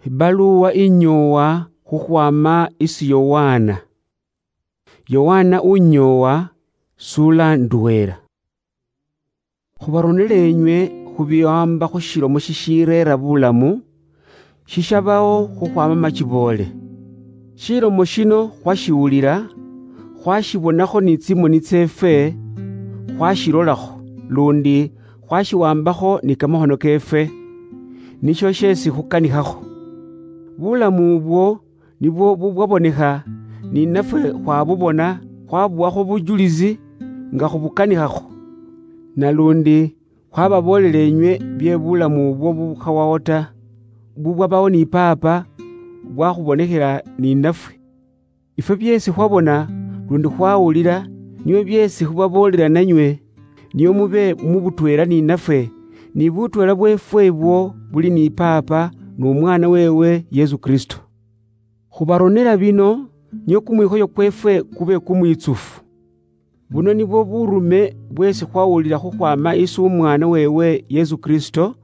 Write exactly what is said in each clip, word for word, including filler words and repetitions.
Ibaluwa inyoowa khukhwama isi Yowaana. Yowaana unyoowa, sula ndweela. Khubaronela enywe khubiwamba khushilomo shishireera bulamu, shishabawo khukhwama machiboole. Shilomo shino khwashiwulila, khwashibonakho ni tsimoni tseefwe, khwashilolakho, lundi khwashiwambakho ni kamakhono keefwe, nisho sheesi khukanikhakho. Bulamu ubwo nibwo bubwabonekha, ni nafwe khwabubona, khwabuwakho bujulisi nga khubukanikhakho. Nalundi khwababoolela enywe bye bulamu ubwo bubukhawawo ta, bubwabawo ni Paapa, bwakhubonekhela ni nafwe. Ifwe byeesi khwabona lundi khwawulila, nio byeesi khubaboolela nanywe, nio mube mu butweela ni nafwe, ni butweela bweefwe ibwo buli ni Paapa n'Omwana weewe Yesu Kristo. Khubaronela bino, nio kumwikhoyo kweefwe kube kumwitsufu. Buno nibwo burume bweesi khwawulila khukhwama isi Omwana weewe Yesu Kristo,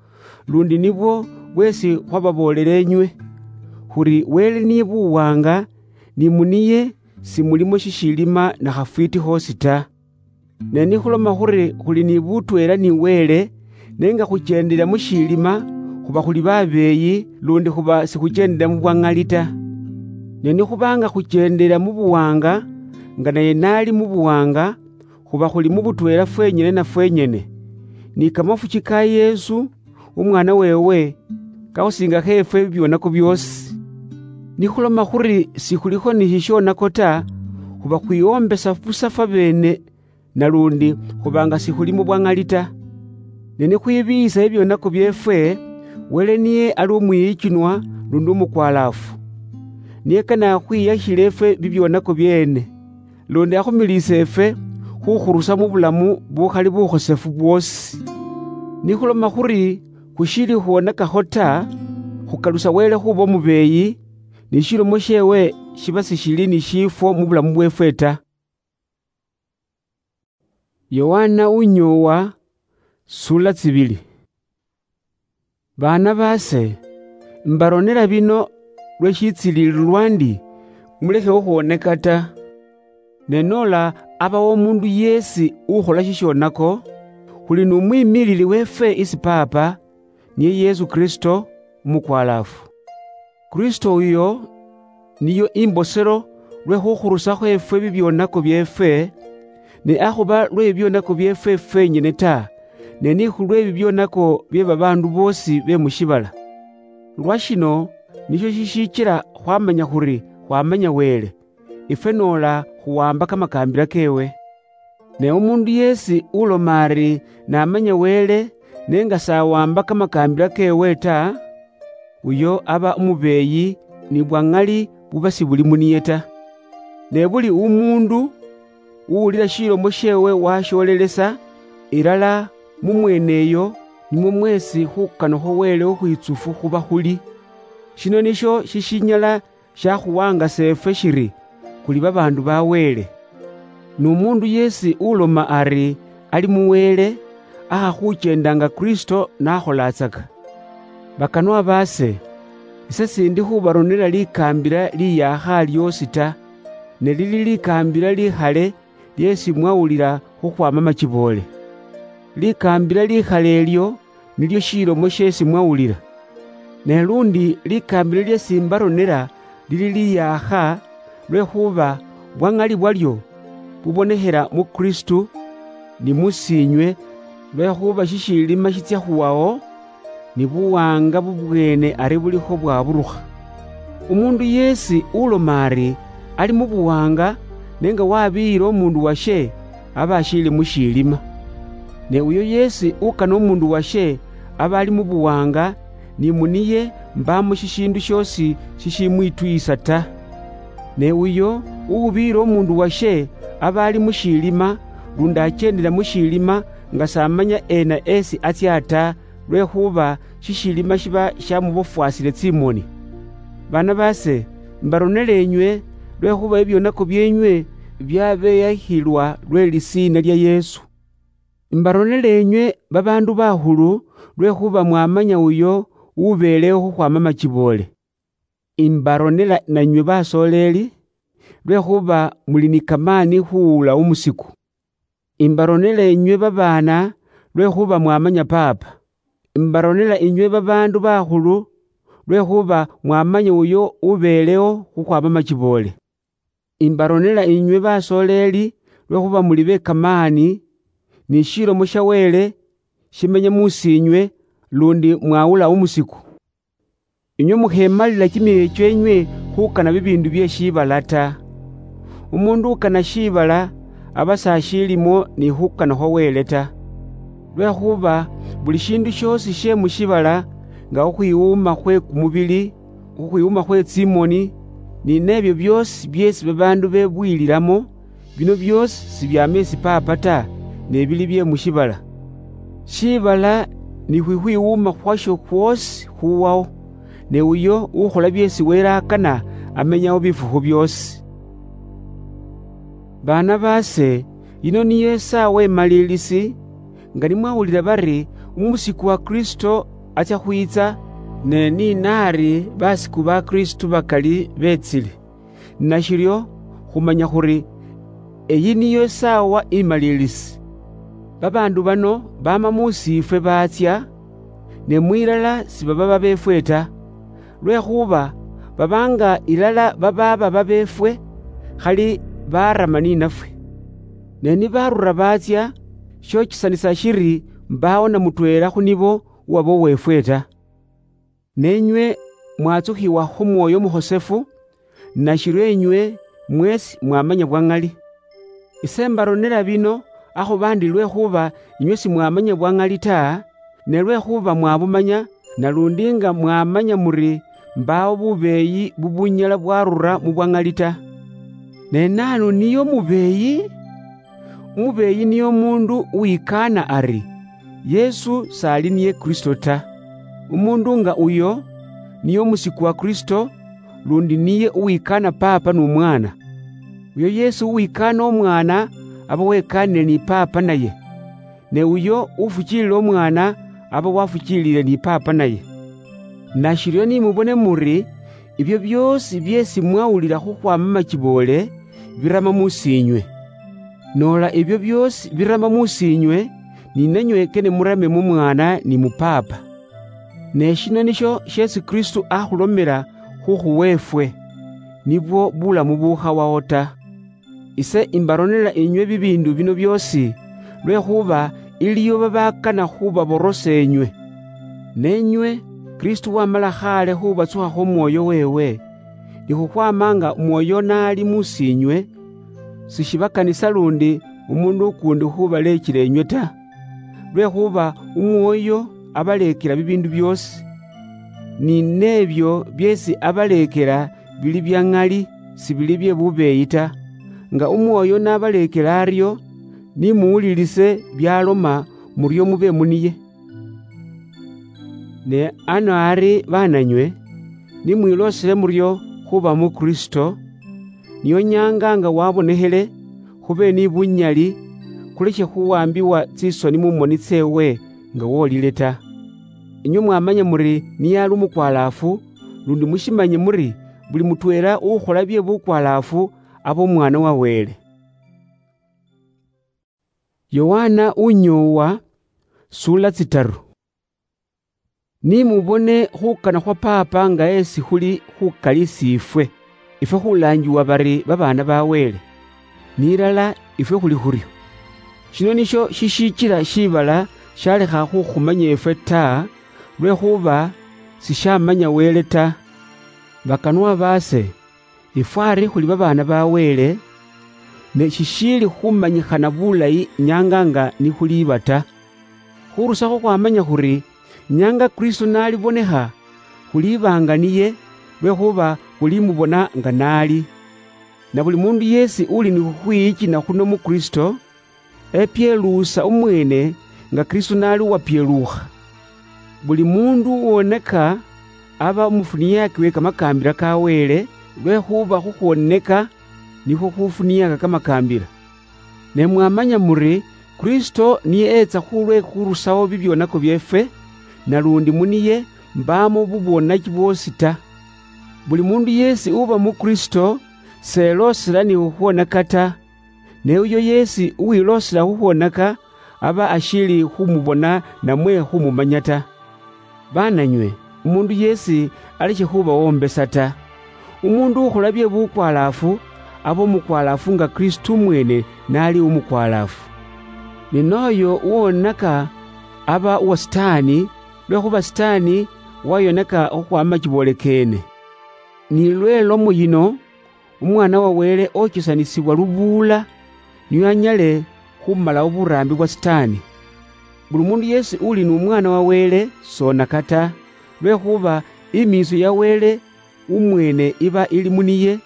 lundi nibwo bweesi khwababoolela enywe, khuri Wele niye buwaanga, ni muniye simulimo shishiilima na khafwiiti khoosi ta. Ne nikhuloma khuri khuli ni butweela ni Wele, ne nga khuchendela mu shiilima, khuba khuli babeeyi, lundi khuba sikhuchendela mu bwa ŋali ta. Ne nikhuba nga khuchendela mu buwaanga, nga naye naali mu buwaanga, khuba khuli mu butweela fwenyene na fwenyene. Ni kamafuchi ka Yesu, Umwaana weewe, kakhusinga kheefwe bibyonako byoosi. Nikhuloma khuri sikhulikho ni shishonako ta, khuba khwiyoombesa busa fwabeene, nalundi khuba nga sikhuli mu bwa ŋali ta. Ne nikhwibiiyisa ebyonako byeefwe, Wele niye ali umwiyichunwa lundi umukwalaafu. Niye kane akhwiyakhile ifwe bibyonako byeene, lundi akhumiliise ifwe khukhurusa mu bulamu bukhali bukhosefu bwoosi. Nikhuloma khuri khushiili khuwonakakho ta, khukalusa Wele khuba umubeeyi, ni shilomo sheewe shiba sishili ni shiifwo mu bulamu bweefwe ta. Yowaana unyoowa, sula tsibili. Baana baase, imbaronela bino lwe shitsilililwa ndi, mulekhe khukhwoneka ta. Ne noola abawo omundu yeesi ukhola shishonako, khuli n'umwimiilili weefwe isi Paapa, niye Yesu Kristo, umukwalaafu. Kristo uyo niyo imboselo lwe khukhurusakho efwe bibyonako byeefwe, ne akhuba lwe bibyonako byeefwe fwenyene ta, ne ni khulwe bibyonako bye babaandu boosi be mu shiibala. Lwa shino nisho shishichila khwamanya khuri khwamanya Wele, ifwe noola khuwamba kamakaambila keewe. Ne umuundu yeesi uloma ari n'amanya Wele, ne nga s'awamba kamakaambila keewe ta, uyo aba umubeeyi, ni bwa ŋali buba sibuli mu niye ta. Ne buli umuundu uwulila shilomo sheewe washoolelesa, ilala mu mweeneyo nimwo mweesi khukanakho Wele ukhwitsufu khuba khuli. Shino nisho shishinyala shakhuwangasa efwe shiri khuli babaandu ba Wele. N'umuundu yeesi uloma ari ali mu Wele, akha khuchenda nga Kristo nakholaatsaka. Bakanwa baase, ise sindi khubaronela likaambila liyaakha lyoosi ta, ne lili likaambila likhale lyeesi mwawulila khukhwaama machiboole. Likaambila likhale elyo nilyo shilomo sheesi mwawulila. Ne lundi likaambila lyeesi imbaronela lili liyaakha, lwekhuba bwa ŋali bwalyo bubonekhela mu Kristo ni mu siinywe, lwekhuba shishiilima shitsia khuwawo, ni buwaanga bubweene ari bulikho bwaburukha. Umuundu yeesi uloma ari ali mu buwaanga, ne nga wabiyila umuundu washe, aba ashiili mu shiilima. Ne uyo yeesi ukana umuundu washe, aba ali mu buwaanga, ni mu niye mbaamo shishiindu shoosi shishimwituyisa ta. Ne uyo uwubiyila umuundu washe, aba ali mu shiilima, lundi acheendela mu shiilima, nga s'amanya ena esi atsia ta, lwekhuba shishiilima shiba shamubofwasile tsimoni. Baana baase, imbaronela enywe, lwekhuba ebyonako byeenywe byabeyakhilwa lwe lisiina lya Yesu. Imbaronela enywe babaandu bakhulu, lwekhuba mwamanya uyo ubeelewo khukhwaama machiboole. Imbaronela nanywe basoleli, lwekhuba muli ni kamani khuula umusiku. Imbaronela inywe babaana, lwekhuba mwamanya Paapa. Imbaronela inywe babaandu bakhulu, lwekhuba mwamanya uyo ubeelewo khukhwama machiboole. Imbaronela inywe basoleli, lwekhuba muli be kamani, ni shilomo sha Wele shimenya musinywe, lundi mwawula umusiku. Inywe mukhemalila kimioyo chienywe khukana bibindu bie shibala ta. Umundu ukana shibala aba sashilimo ni khukana khwa Wele ta. Lwekhuba buli shindu shiosi shie mushibala, nga khukhwiwuma khwe kumubili, khukhwiwuma khwe tsimoni, ni nebio biosi biesi babandu bebwililamo, bino biosi sibiama esi Paapa ta, ne bili bie mushibala. Shibala ni khwikhwiwuma khwasho khwosi khuwawo, ne uyo ukhola byeesi Wele akana amenyawo bifukhu byoosi. Baana baase, yino niyo esaawa emalilisi, nga nimwawulira bari umusiku wa Kristo atsya khwiitsa, ne ni naari basiku ba Kristo bakali beetsile. Nashiryo khumanya khuri eyi niyo esaawa imalilisi. Babaandu bano baama mu siifwe baatsya, ne mwilala sibaba babeefwe ta, lwekhuba baba nga ilala babaaba babeefwe, khali baarama ninafwe. Ne nibarura baatsya, shochisanisa shiri mbaawo na mutweela khu nibo uwaba uweefwe ta. Nenywe mwatsukhiwa khu Mwoyo Mukhosefu, nashiryo enywe mwesi mwamanya bwa ŋali. Ise mbaronera bino akhuba ndi lwekhuba inywe simwamanya bwa ŋali ta, ne lwekhuba mwabumanya, nalundi nga mwamanya muri mbaawo bubeeyi bubunyala bwarura mu bwa ŋali ta. Ne naanu niye omubeeyi? Umubeeyi niye omundu uwikaana ari, Yesu s'ali niye Kristo ta. Umundu nga uyo niye omusiku wa Kristo, lundi niye uwikaana Paapa n'Omwaana. Uyo yeesi uwikaana Omwaana aba wekaanire ni Paapa naye, ne uyo ufukiilila Omwaana aba wafukiilile ni Paapa naye. Nashiryo ni mubone muri ibyo byoosi byeesi mwawulira khukhwaama machiboole birama musiinywe. Noola ibyo byoosi birama musiinywe, ni nanywe kene murame mu Mwaana ni mu Paapa. Ne shino nisho sheesi Kristo akhulomera khukhuwa efwe, nibwo bulamu bukhawawo ta. Ise imbaronera inywe bibiindu bino byoosi, lwekhuba iliyo babakana khubaborosa enywe. Nenywe, Kristo wamala khaale khubatsukhakho Omwoyo weewe, ni khukhwama nga Omwoyo naali musiinywe, sishibakanisa lundi omundu ukuundi khubalechela enywe ta. Lwekhuba Omwoyo abaleekela bibiindu byoosi, ni neebyo byeesi abaleekela bili bya ŋali, sibili bye bubeeyi ta. Nga Umwoyo n'abaleekela aryo, ni muwulilise byaloma, muryo mube muniye. Ne ano ari, baananywe, ni mwiloosele muryo khuba mu Kristo, niyo nyaanga nga wabonekhele, khube ni bunyali, khulekhe khuwambiwa tsisoni mu moni tseewe nga wolile ta. Inywe mwamanya muri niye ali umukwalaafu, lundi mushimanye muri buli mutweela uukhola bye bukwalaafu aba umwaana wa Wele. Yohana unyoowa, suula tsitaru. Ni mubone khukana khwa Paapa nga esi khuli khukali siifwe, ifwe khulaangiwa bari babaana ba Wele. Ni ilala ifwe khuli khuryo. Shino nisho shishichila shiibala shalekha khukhumanya ifwe ta, lwekhuba sishamanya Wele ta. Bakanwa baase, ifwe ari khuli babaana ba Wele, ne shishiili khumanyikhana bulayi nyaanga nga nikhuliiba ta. Khurusakho khwamanya khuri, nyaanga Kristo nalibonekha, khuliibanga niye, lwekhuba khulimubona nga naali. Na buli mundu yeesi uli ni khukhwiyikina khuno mu Kristo, epyeluusa umweene nga Kristo nali uwapyeluukha. Buli mundu uwoneka aba umufuniaki we kamakaambila ka Wele, lwekhuba khukhwoneka nikhwo khufuniaka kamakaambila. Ne mwamanya muri Kristo niye etsa khulwe khurusawo bibyonako byeefwe, nalundi muniye mbaamo bubwonaki bwoosi ta. Buli mundu yesi uba mu Kristo seloosela ni khukhwonaka ta, ne uyo yesi uwiloosela khukhwonaka aba ashiili khumubona namwe khumumanya ta. Baananywe, umundu yesi aleshe khuba wombesa ta. Umundu ukhola bye bukwalaafu aba omukwalaafu nga Kristo umwene nali umukwalaafu. Ne noyo uwonaka aba uwa Sitaani, lwekhuba Sitaani wayonaka khukhwama chiboole keene. Ni lwe lomo yino, Umwana wa Wele ochisanisibwa lubuula, nio anyale khumalawo buraambi bwa Sitaani. Buli mundu yesi uli n'Umwana wa Wele sonaka ta, lwekhuba imiitso ya Wele umwene iba ili muniye,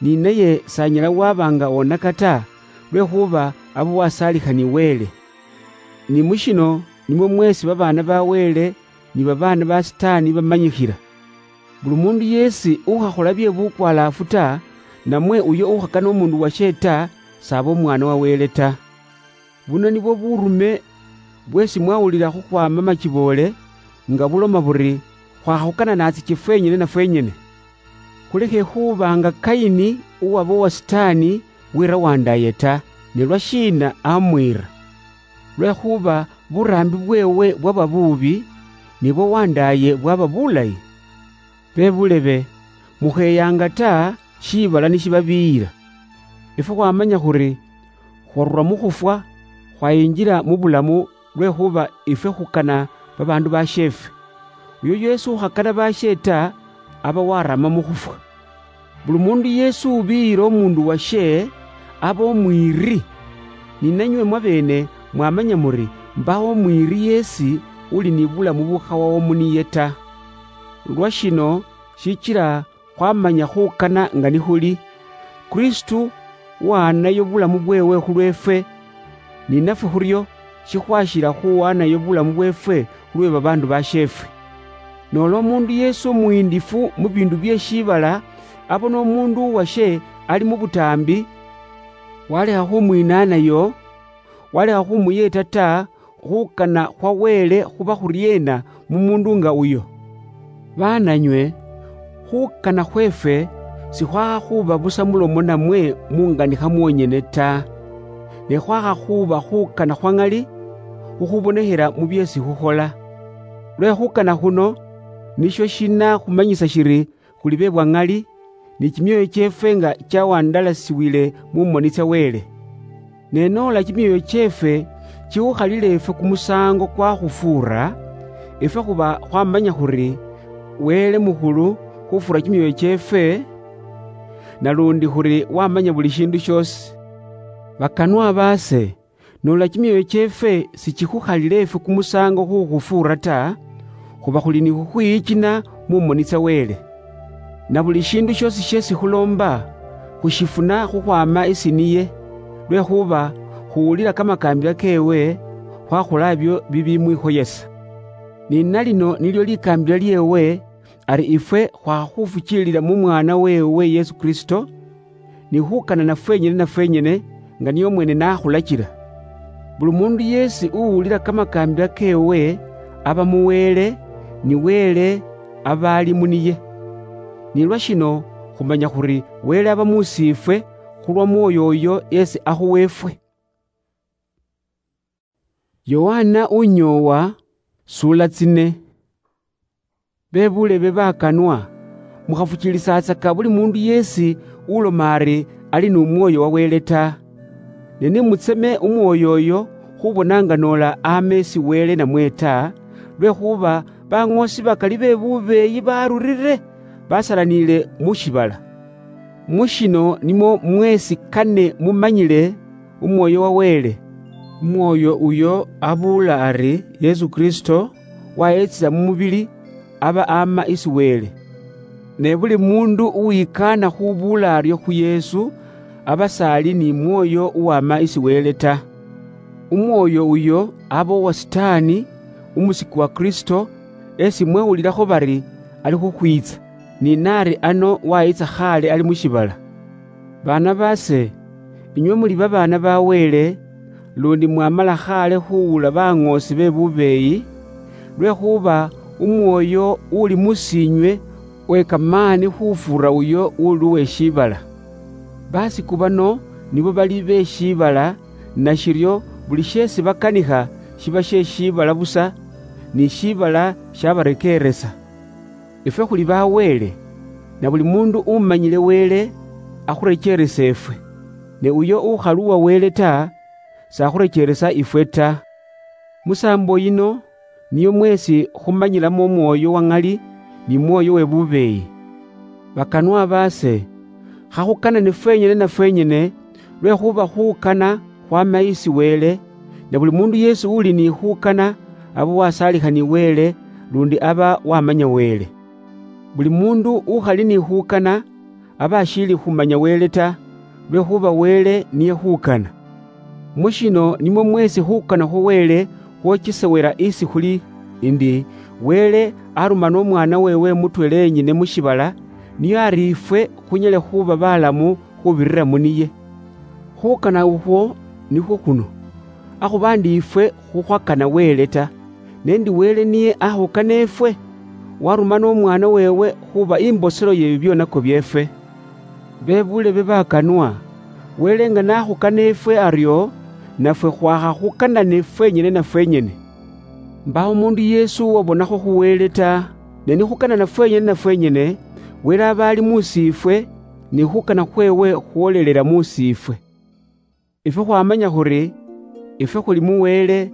ni naye sanyala waba nga onaka ta, lwekhuba aba wasaalikhani Wele. Ni mushino nimwo mwesi babaana ba Wele ni babaana ba Sitaani bamanyikhila. Buli mundu yesi ukhakhola bye bukwalaafu ta, namwe uyo ukhakana omundu washe ta, saba omwana wa Wele ta. Buno nibwo burume bwesi mwawulila khukhwama machiboole, nga buloma buri, khwakhukana natsiche fwenyene na fwenyene. Khulekhe khuba nga Kaini uwaba owa Sitaani wira wandaaye ta, ne lwashiina amwiira? Lwekhuba buraambi bweewe bwaba buubi, nibwo wandaaye bwaba bulayi. Be bulebe, mukheyaanga ta shiibala nishibabiyira. Efwe khwamanya khuri khwarula mukhufwa, khwayinjila mubulamu lwekhuba ifwe khukana babaandu basheefwe. Uyo yesi ukhakana bashe ta, aba warama mukhufwa. Buli mundu yesi ubiyira omundu washe, aba omwiiri. Ni nanywe mwabeene mwamanya muri mbaho omwiiri yesi uli ni bulamu bukhawawo muniye ta. Lwashino shichila khwamanya khukana nga nikhuli, Kristo wahanayo bulamu bweewe khulweefwe, ni nafwe khuryo shikhwashila khuwanayo bulamu bweefwe khulwe babaandu basheefwe. Noola omuundu yeesi omuhiindifu mu biindu bye shiibala abona omuundu uwashe ali mu butaambi, walekha khumwiinaanayo, walekha khumuyeeta ta, khukana khwa Wele khuba khuryeena mu muundu nga uyo? Baananywe, khukana khweefwe sikhwakha khuba busa mulomo namwe mu nganikha mwonyene ta, ne khwakha khuba khukana khwa ŋali, khukhubonekhela mu byeesi khukhola. Lwe khukana khuno, nisho shinakhumanyisa shiri khuli be bwa ŋali, ni kimyoyo kyeefwe nga kyawandalasiwile mu moni tsya Wele. Ne noola kimyoyo kyeefwe kikhukhalila efwe kumusaango kwakhufuura, efwe khuba khwamanya khuri Wele mukhulu khufuura kimyoyo kyeefwe, nalundi khuri wamanya buli shiindu shiosi. Bakanwa baase, noola kimyoyo kyeefwe sikikhukhalila efwe kumusaango khukhufuura ta, khuba khuli ni khukhwiyikina mu moni tsya Wele. Na buli shiindu shiosi sheesi khuloomba, khushifuna khukhwaama isi niye, lwekhuba khuwulila kamakaambila keewe, khwakhola ebyo bibimwikhoyesa. Ni na lino nilyo likaambila lyeewe, ari ifwe khwakhufukiilila mu Mwaana weewe Yesu Kristo, ni khukanana fwenyene na fwenyene, nga niye omwene nakhulachila. Buli mundu yeesi uwulila kamakaambila keewe, aba mu Wele, ni Wele aba ali mu niye. Ni lwa shino khumanya khuri Wele aba muusiifwe khulwa Mwoyo uyo yeesi akhuweefwe. Yohana unyoowa, sula tsine. Be bulebe bakanwa, mukhafuchilisatsaka buli mundu yeesi uloma ari ali nu Mwoyo wa Wele ta. Ne nimutseme Umwoyo uyo khubona nga noola ama esi Wele namwe ta, lwekhuba baŋoosi bakali be bubeeyi barurire, basalaniile mu shibala. Mushino nimwo mwesi kane mumanyile Umwoyo wa Wele. Umwoyo uyo abuula ari Yesu Kristo wayetsila mu mubili, aba ama isi Wele. Ne buli mundu uwikaana khubuula aryo khu Yesu, aba sali ni Mwoyo uwama isi Wele ta. Umwoyo uyo aba uwa Sitaani, umusiki wa Kristo, esi mwewulilakho bari ali khukhwitsa, ni nari ano wayitsa khale ali mu shibala. Baana baase, inywe muli babaana ba Wele, lundi mwamala khale khuwula baŋoosi be bubeeyi, lwekhuba Umwoyo uli musiinywe Wekamaani khufuura uyo uli uwe shiibala. Basiku bano nibo bali be shiibala, nashiryo buli sheesi bakanikha shiba she shiibala busa, ni shiibala shabarekeeresa. Ifwe khuli ba Wele, na buli mundu umanyile Wele akhurecheeresa ifwe. Ne uyo ukhali uwa Wele ta, sakhurecheeresa ifwe ta. Musaambo yino niyo mweesi khumanyilamo omwoyo wa ŋali ni mwoyo we bubeeyi. Bakanwa baase, khakhukanane fwenyene na fwenyene, lwekhuba khukana khwama isi Wele, ne buli mundu yeesi uli ni khukana aba wasaalikha ni Wele, lundi aba wamanya Wele. Buli mundu ukhali ni khukana aba ashiili khumanya Wele ta, lwekhuba Wele niye khukana. Mushino nimwo mweesi khukana khwa Wele khwochesewela isi khuli, ndi Wele arumana Omwaana weewe mutweela yenyene mu shiibala, nio ari ifwe khunyale khuuba balamu khubirira mu niye. Khukana ukhwo nikhwo khuno, akhuba ndi ifwe khukhwakana Wele ta, ne ndi Wele niye akhukana ifwe, warumana Omwaana weewe khuuba imboselo ye bibyonako byeefwe. Be buulebe bakanwa, Wele nga nakhukana ifwe aryo, nafwe khwakhakhukanane fwenyene na fwenyene. Mbaawo mundu yeesi uwabonakho khu Wele ta, ne nikhukanana fwenyene na fwenyene, Wele aba ali mu siifwe, ni khukana khweewe khwolelela mu siifwe. Ifwe khwamanya khuri, ifwe khuli mu Wele,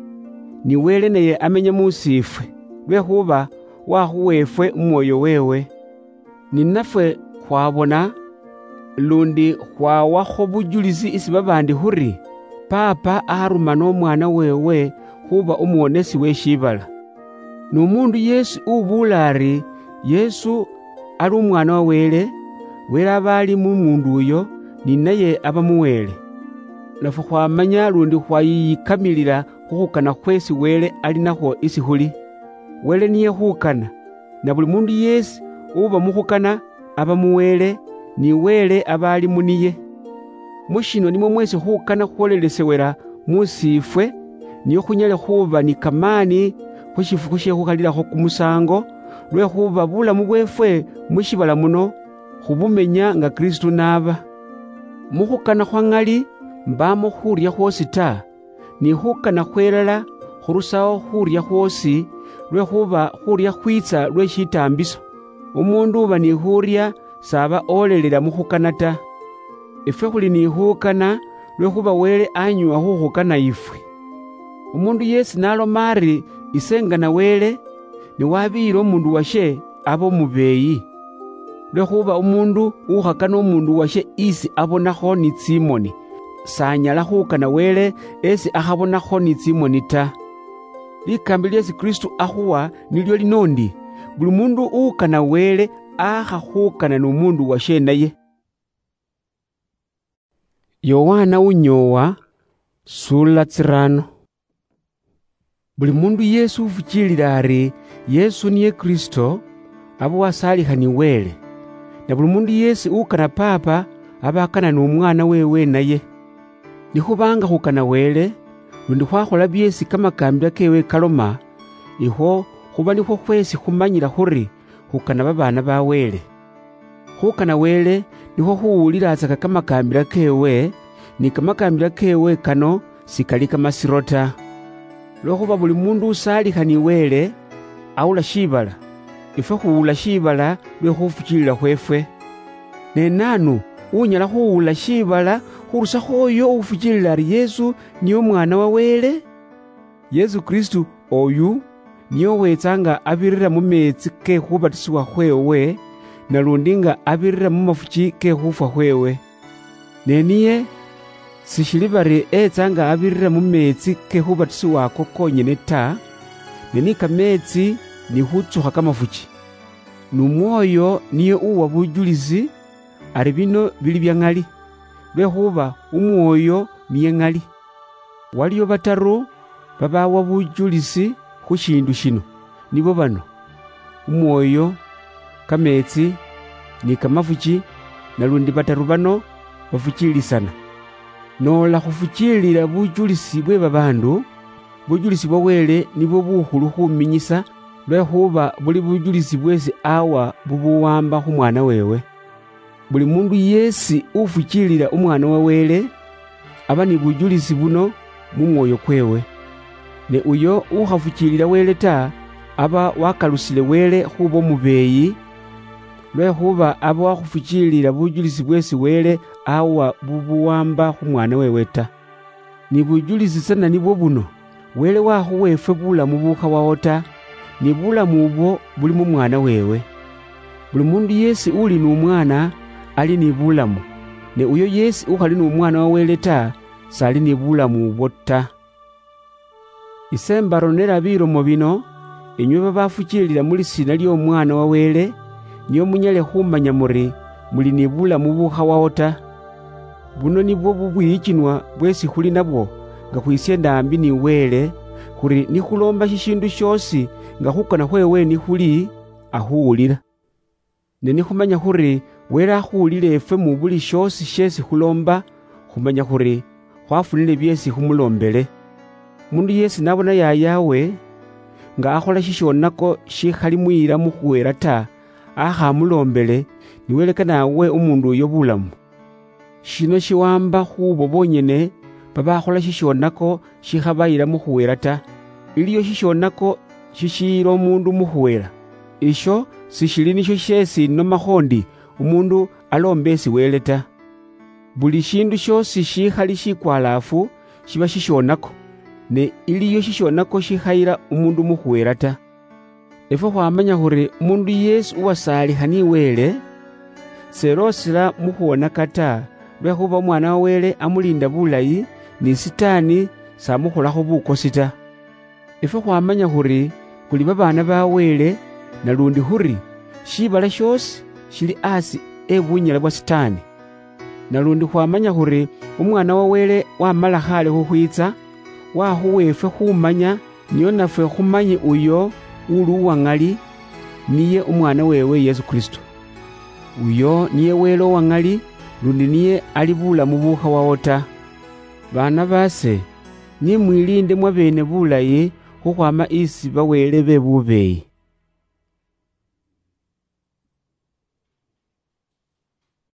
ni Wele naye amenya mu siifwe, lwekhuba wakhuwa ifwe Umwoyo weewe. Ninafwe khwabona, lundi khwawakho bujulisi isi babaandi khuri, Paapa arumana Omwaana weewe khuuba Omuwonesi we shiibala. N'omuundu yeesi ubuula ari, Yesu ali Umwaana wa Wele, Wele aba ali mu muundu uyo, ni naye aba mu Wele. Nafwe khwamanya lundi khwayiyikamilila khu khukana khweesi Wele ali nakhwo isi khuli. Wele niye khukana, na buli muundu yeesi uba mu khukana, aba mu Wele, ni Wele aba ali mu niye. Mu shino nimwo mweesi khukana khwolelesewela mu siifwe, nio khunyale khuuba ni kamaani khu shifukhu she khukhalilakho kumusaango, lwekhuba bulamu bweefwe mu shiibala muno khubumenya nga Kristu naaba. Mu khukana khwa ŋali mbaamo khuurya khwoosi ta, ni khukana khwelala khurusaho khuurya khwoosi, lwekhuba khuurya khwiitsa lwe shitaambiso. Umuundu uba ni khuurya s'aba oolelela mu khukana ta. Ifwe khuli ni khukana, lwekhuba Wele anyuha khukhukana ifwe. Umuundu yeesi n'aloma ari, Ise ngana Wele, ne wabiyila umuundu washe, aba umubeeyi. Lwekhuba umuundu ukhakana umuundu washe isi abonakho ni tsimoni, s'anyala khukana Wele esi akhabonakho ni tsimoni ta. Likaambi lyeesi Kristu akhuwa nilyo lino ndi, buli muundu uwukana Wele aakha khukana n'omuundu washe naye. Yowaana unyoowa, suula tsiraano. Buli muundu yeesi ufukiilila ari Yesu niye Kristo, aba wasaalikha ni Wele. Na buli muundu yeesi ukana Paapa, aba akana n'Omwaana weewe naye. Nikhubanga khukana Wele, lundi khwakhola byeesi kamakaambila keewe kaloma, ikhwo khuba nikhwo khweesi khumanyila khuri khukana babaana ba Wele. Khukana Wele nikhwo khuwulilatsaka kamakaambila keewe, ni kamakaambila keewe kano sikali kamasiro ta. Lwekhuba buli muundu usaalikha ni Wele, awula shiibala, ifwe khuwula shiibala lwe khufukiilila khweefwe. Ne naanu unyala khuwula shiibala khurusakho oyo ufukiilila ari Yesu niye Omwaana wa Wele? Yesu Kristu oyu niye owetsa nga abirira mu meetsi ke khubatisibwa khweewe, nalundi nga abirira mu mafuki ke khufwa khweewe. Ne niye, sishili bari etsa nga abirira mu meetsi ke khubatisibwa ako konyene ta, ne ni kameetsi ni khutsukha kamafuki. N'Umwoyo niye uwa bujulisi ari bino bili bya ŋali, lwekhuba Umwoyo niye ŋali. Waliyo bataru babawa bujulisi khu shiindu shino, nibo bano: Umwoyo, kameetsi, ni kamafuki, nalundi bataru bano bafukiilisana. Noola khufukiilila bujulisi bwe babaandu, bujulisi bwa Wele nibwo bukhulu khuminyisa lwekhuba buli bujulisi bwesi awa bubuwamba khu Mwana wewe. Buli mundu yesi ufuchilila Umwana wa Wele, aba ni bujulisi buno mu mwoyo kwewe. Ne uyo ukhafuchilila Wele ta, aba wakalusile Wele khuba omubeeyi, lwekhuba aba wakhufuchilila bujulisi bwesi Wele awa bubuwamba khu Mwana wewe ta. Ni bujulisi tsana nibwo buno, Wele wakhuwa efwe bulamu bukhawawo ta, ni bulamu ubwo buli mu Mwana wewe. Buli mundu yesi uli nu Mwana, ali ni bulamu, ne uyo yesi ukhali nu Mwana wa Wele ta, sali ni bulamu ubwo ta. Ise mbaronera bilomo bino, inywe babafuchilila mu lisiina ly'Omwana wa Wele, nio munyale khumanya muri muli ni bulamu bukhawawo ta. Buno nibwo bubwiyichinwa bwesi khuli nabwo, nga khwisienda ambi ni Wele, khuri nikhulomba shishindu shiosi nga khukana khwewe nikhuli, akhuwulila. Ne nikhumanya khuri Wele akhuwulile efwe mu buli shiosi shesi khulomba, khumanya khuri khwafunile biesi khumulombele. Mundu yesi nabona yayawe nga akhola shishonako shikhali muyila mukhuwela ta, akhamulombele, ni Wele kanawe umundu uyo bulamu. Shino shiwamba khubo bonyene babakhola shishonako shikhabayila mukhuwela ta. Iliyo shishonako shishiyila omundu mukhuwela. Isho sishili nisho shesi nomakho ndi umundu alombe esi Wele ta. Buli shindu shiosi shikhali shikwalaafu shiba shishonako, ne iliyo shishonako shikhayila umundu mukhuwela ta. Efwe khwamanya khuri umundu yesi uwasaalikha ni Wele, seloosela mukhuwonaka ta, lwekhuba Omwana wa Wele amulinda bulayi, ni Sitaani samukholakho bukosi ta. Efwe khwamanya khuri khuli babaana ba Wele, nalundi khuri shibala shiosi shili asi e bunyala bwa Sitaani. Nalundi khwamanya khuri Umwana wa Wele wamala khale khukhwitsa, wakhuwa efwe khumanya, nio nafwe khumanye uyo uli uwa ŋali, niye Umwana wewe Yesu Kristo. Uyo niye Wele owa ŋali, lundi niye ali bulamu bukhawawo ta. Baana base, nimwilinde mwabene bulayi khukhwama isi bawele be bubeeyi.